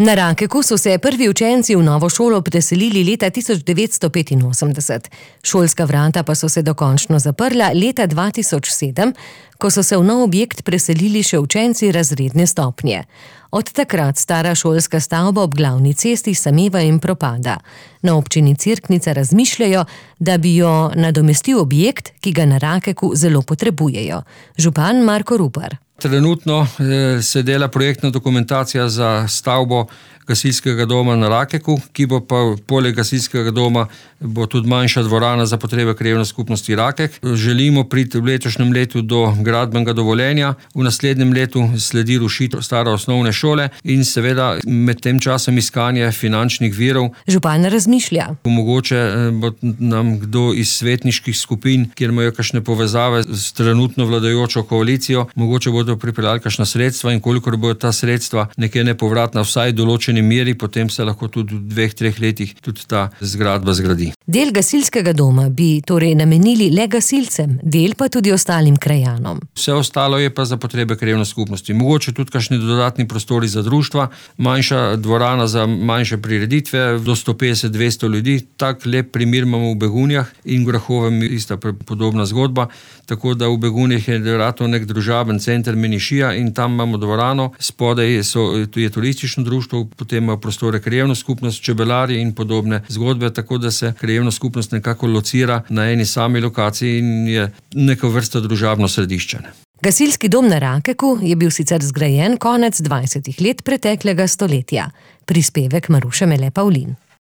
Na Rakeku so se prvi učenci v novo šolo preselili leta 1985. Šolska vrata pa so se dokončno zaprla leta 2007, ko so se v nov objekt preselili še učenci razredne stopnje. Od takrat stara šolska stavba ob glavni cesti sameva in propada. Na občini Cerknica razmišljajo, da bi jo nadomestil objekt, ki ga na Rakeku zelo potrebujejo. Župan Marko Rupar. Trenutno se dela projektna dokumentacija za stavbo gasilskega doma na Rakeku, ki bo pa poleg gasilskega doma bo tudi manjša dvorana za potrebe krajevne skupnosti Rakek. Želimo priti v letošnjem letu do gradbenega dovoljenja, v naslednjem letu sledi rušitev stare osnovne šole in seveda med tem časom iskanje finančnih virov. Župan razmišlja. Mogoče bo nam kdo iz svetniških skupin, kjer imajo kakšne povezave s trenutno vladajočo koalicijo, mogoče bodo pripeljali kakšna sredstva in kolikor bodo ta sredstva nekje nepovratna vsaj določeni meri, potem se lahko tudi v 2-3 letih tudi ta zgradba zgradi. Del gasilskega doma bi torej namenili le gasilcem, del pa tudi ostalim krajanom. Vse ostalo je pa za potrebe krajevne skupnosti. Mogoče tudi kakšni dodatni prostori za društva, manjša dvorana za manjše prireditve, do 150-200 ljudi. Tak lep primer imamo v Begunjah in v Grahovem ista podobna zgodba, tako da v Begunjah je ratno nek družaben center Menišija in tam imamo dvorano, spodaj je turistično društvo, potem ima prostore krajevna skupnost, čebelari in podobne zgodbe, tako da se krajevna skupnost nekako locira na eni sami lokaciji in je neka vrsta družabno središče. Gasilski dom na Rakeku je bil sicer zgrajen konec 20. let preteklega stoletja. Prispevek Maruše Mele Pavlin.